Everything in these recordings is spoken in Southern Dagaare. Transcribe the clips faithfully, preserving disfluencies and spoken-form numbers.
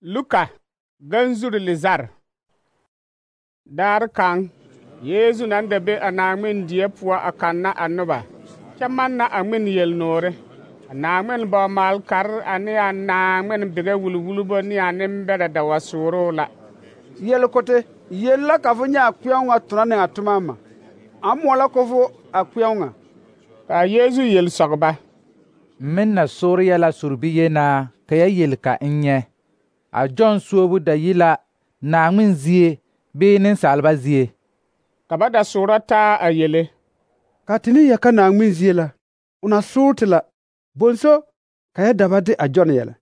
Luka ganzuri lizar dar kan Yesu nan da be a naagmen die poɔ a kanna a noba kyɛ manna a ŋmen yelnoore a naagmen ba malkar ane a naagmen bega wulwulbo ne a nembɛrɛ da wa sooroo la. Yelkote yel la ka fo nyɛ a kpeɛo ŋa tona ne a toma ma a moɔ la ko fo a kpeɛo ŋa. Ka Yesu yel sɔgba min na soor yɛla sorbi yenaa ka ya yel ka n nyɛ a John suobu da yi la naagmen zie bee nensaalba zie. Ka ba da soora taa a yele. Ka te ne yɛka naagmen zie la o na soor te la bonso ka ya daba de a John yɛlɛ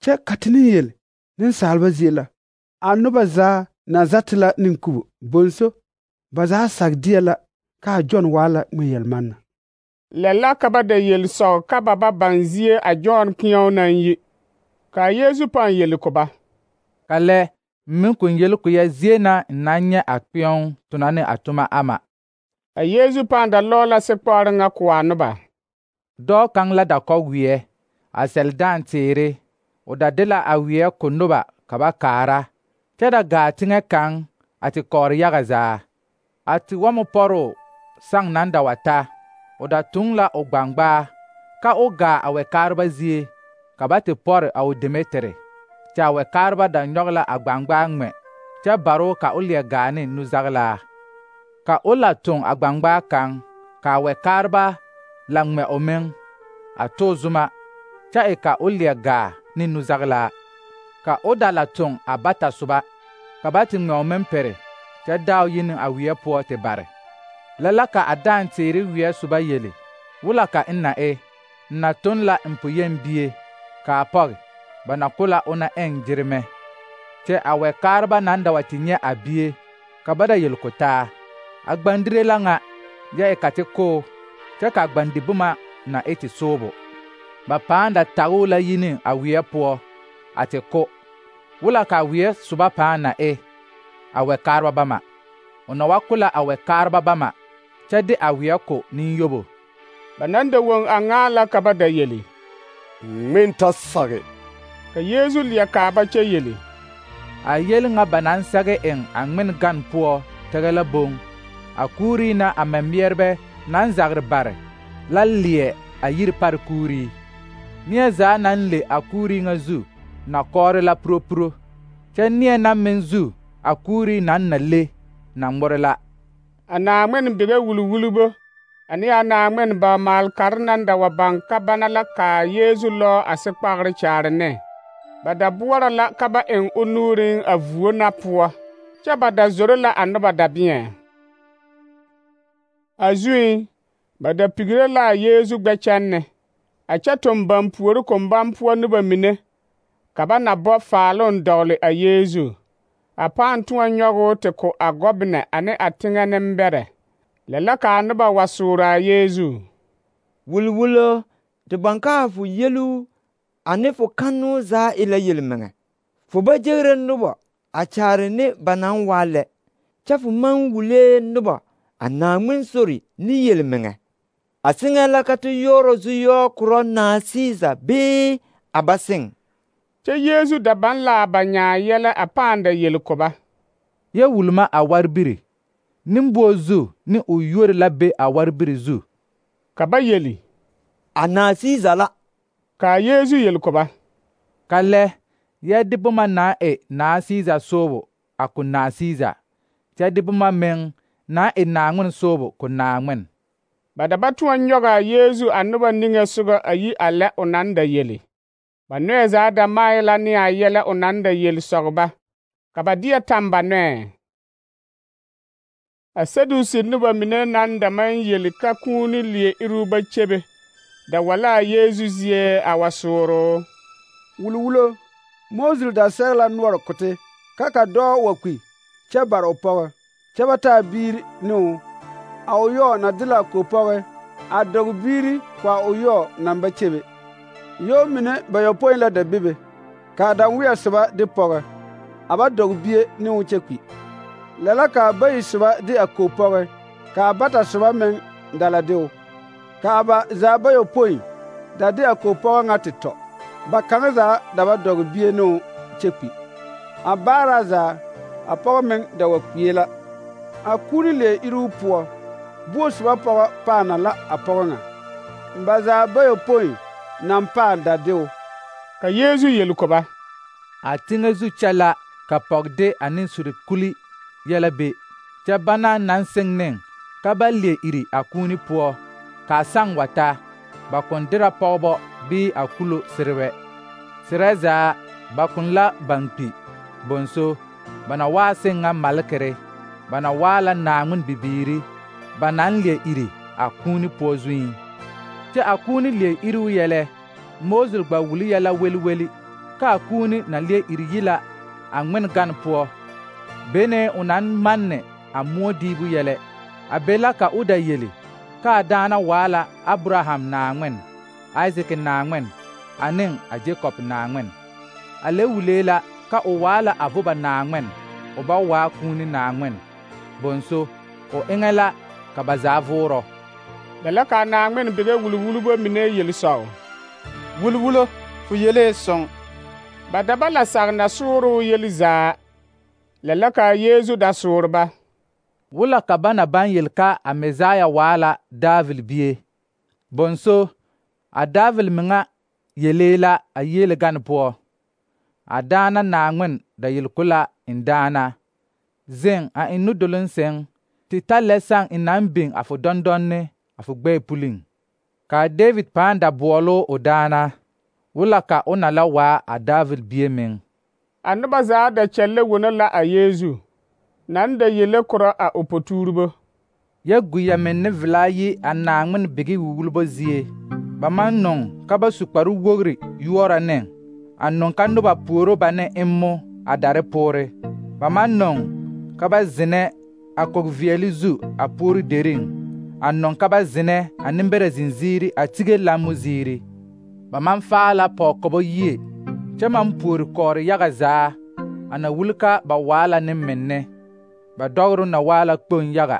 kyɛ ka te ne yel nensaalba zie la a noba zaa na zate la nenkubo bonso ba zaa sag deɛ la ka a John waa la ŋmɛ yelmanna. Lɛ la ka ba da yel sɔg ka ba ba baŋ zie a John kpeɛo naŋ yi. Ka Yesu pãã yel ko ba. Ka lɛ min kun yel ko ya zie na n na nyɛ a kpeɛo tona ne a toma ama. A Yesu pãã da lɔɔ la sekpɔɔre ŋa ko a noba. Dɔɔ kaŋ la da kɔ weɛ a sɛl dãã teere o da de la a weɛ ko noba ka ba kaara kyɛ da gaa teŋɛ kaŋ a te kɔɔre yaga zaa. A te wɔmo pɔroo saŋ nan da wa ta o da tuŋ la o gbaŋgbaa ka o gaa a wɛkaareba zie ka ba te pɔre a o deme tere kyɛ a wɛkaareba da nyɔge la a gbaŋgbaa ŋmɛ kyɛ baroo ka o leɛ gaa ne nuzaglaa. Ka o la tuŋ a gbaŋgbaa kaŋ ka a wɛkaareba la ŋmɛ o meŋ a too zuma kyɛ e ka o leɛ gaa ne nuzaglaa. Ka o da la tuŋ a bata soba ka ba te ŋmɛ o meŋ pere kyɛ daa o yi ne a weɛ poɔ te bare. Lɛ la ka a dãã teere weɛ soba yele wula ka n na e n na tun la n poyen bie ka a pɔge ba na ko la o na ɛŋ gyeremɛ kyɛ a wɛkaareba nan da wa te nyɛ a bie ka ba da yel ko taa a gbandire la ŋa yɛ e ka te koo kyɛ ka a gbandi boma na e te soobo. Ba pãã da tagoo la yi ne a weɛ poɔ a te ko wula ka a weɛ soba pãã na e a wɛkaareba bama. O na wa ko la a wɛkaareba bama kyɛ de a weɛ ko ninyobo. Ba nan da woŋ a ŋaa la ka ba da yeli. Ŋmen ta sage. Ka Yesu leɛ kaa ba kyɛ yeli. A yel ŋa ba naŋ sɛge eŋ a ŋmen gan poɔ tɛgɛ la boŋ. A kuurii na a mɛmeɛrebɛ naŋ zagre bare la leɛ a yiri pare kuurii. Neɛ zaa naŋ le a kuurii ŋa zu na kɔɔre la puropuro kyɛ neɛ na meŋ zu a kuurii naŋ na le na ŋmore la. A naagmen bega wulwulbo ane a naagmen ba malkar nan da wa baŋ ka bana la ka Yesu lɔɔ a sekpagre kyaare ne. Ba da boɔrɔ la ka ba eŋ o nuuriŋ a vuo na poɔ kyɛ ba da zoro la a noba dabeɛ. A zuiŋ ba da pigre la a Yesu gbɛkyɛnne a kyɛ toŋ baŋ puori kombaŋ poɔ noba mine ka ba na bɔ faaloŋ dɔgele a Yesu. A pãã tõɔ nyɔgoo te ko a gɔbenɛ ane a teŋɛ nembɛrɛ. Lɛ la ka a noba wa soora a Yesu. Wulwulo te baŋ kaa fo yelu ane fo kannoo zaa e la yelmeŋɛ. Fo ba gyere noba a kyaare ne ba naŋ waa lɛ kyɛ fo maŋ wulee noba a naagmen sori ne yelmeŋɛ. A seŋɛ la ka te yɔɔrɔ zu-yɔɔ korɔ naa Siisa bee a ba seŋ. Kyɛ Yesu da baŋ la a ba nyaa yɛlɛ a pãã da yel ko ba. Yɛ wulma a warbiri nimboɔ zu ne o yuori la be a warbiri zu. Ka ba yeli. A naa Siisa la. Ka Yesu yel ko ba. Ka lɛ yɛ de boma naa e naa Siisa soobo a ko naa Siisa kyɛ de boma meŋ naa e naagmen soobo ko naagmen. Ba da ba tõɔ nyɔge a Yesu a noba niŋe sogɔ a yi a lɛ o naŋ da yeli. Ba nɔɛ zaa da mae la ne a yɛlɛ o naŋ da yel sɔg ba ka ba deɛ tam ba nɔɛ. A Sadusi noba mine naŋ da maŋ yeli ka kũũ ne leɛ iruu ba kyebe da wa la a Yesu zie a wa sooroo. Wulwulo Moses da sɛge la noɔre kote ka ka dɔɔ wa kpi kyɛ bare o pɔgɔ kyɛ ba taa biiri ne o. A o yɔɔ na de la kopɔgɔ a dɔg biiri ko a o yɔɔ naŋ ba kyebe. Yɔɔ mine bayɔpõi la da bebe ka a daŋweɛ soba de pɔgɔ a ba dɔg bie ne o kyɛ kpi. Lɛ la ka a bayi soba de a kopɔgɔ ka a bata soba meŋ da la de o. Ka a ba zaa bayɔpõi da de a kopɔgɔ ŋa te tɔ. Ba kaŋa zaa da ba dɔg bie ne o kyɛ kpi. A baara zaa, a pɔgɔ meŋ da wa kpie la. A kuuni lee iruu poɔ, buo soba pɔgɔ paana la a pɔgɔ ŋa. Ba zaa bayɔpõi naŋ paa da deo. Ka Yeezu yel ko ba: A teŋɛ zu kyɛ la ka pɔgede ane surikuli yɛlɛ be, kyɛ bana naŋ seŋ neŋ ka ba leɛ iri a kuuni poɔ, kaa saŋ wa ta, ba kõn derɛ pɔgebɔ bii a kulo serewɛ. Serɛ zaa ba kõn la baŋkpi bonso, ba na waa seŋ ŋa malekere, ba na waa la Naaŋmen bibiiri, ba naŋ leɛ iri a kuuni poɔ zuiŋ. Kyɛ a kuuni leɛ iruu yɛlɛ, Mose gba wuli yɛlɛ weli-weli, ka a kuuni na leɛ iri yi la a ŋmen gan poɔ, bene o naŋ manne a moɔ diibu yɛlɛ. A be la ka o da yeli ka a daana waa la Abraham Naaŋmen, Isaac Naaŋmen, ane a Jakob Naaŋmen. A le wulee la ka o waa la a voba Naaŋmen, o ba waa kuuni Naaŋmen. Bonso, o eŋɛ la ka ba zaa voorɔ. Lɛ la ka Naaŋmen bige wulwulbo mine yel sɔg: Wulwulo, fo yelee sõng. Ba da ba la sag nasooroo yel zaa. Lɛ la ka Yeezu da soor ba: Wula ka ba na baŋ yel ka a Mesaya waa la David bie. Bonso, a David meŋa yelee la a yiele gan poɔ. A daana Naaŋmen da yel ko la en daana: Zeŋ a en nudoloŋ seŋ, tɩ ta lɛ saŋ n naŋ biŋ a fo dɔndɔnne a fo gbɛɛ puliŋ. Ka David pãã da boɔlo o daana, wula ka o na la waa a David bie meŋ. A noba zaa da kyɛllɛ wono la a Yeezu, naŋ da yele korɔ a o potuurebo. Yɛ guyɛ meŋ ne velaa yi a Naaŋmen bigi wulwulbo zie. Ba maŋ noŋ ka ba su kparu wogri yuora neŋ, a noŋ ka noba puoro ba ne emmo a dare poore. Ba maŋ noŋ ka ba zenɛ a kog-veɛle zu a puori deriŋ, a noŋ ka ba zenɛ a nembɛrɛ zinziiri a tige lammo ziiri. Ba maŋ faa la pɔgekɔbɔ yie, kyɛ maŋ puori kɔɔre yaga zaa, a na wuli ka ba waa la nembenne. Ba dɔgro na waa la kpoŋ yaga.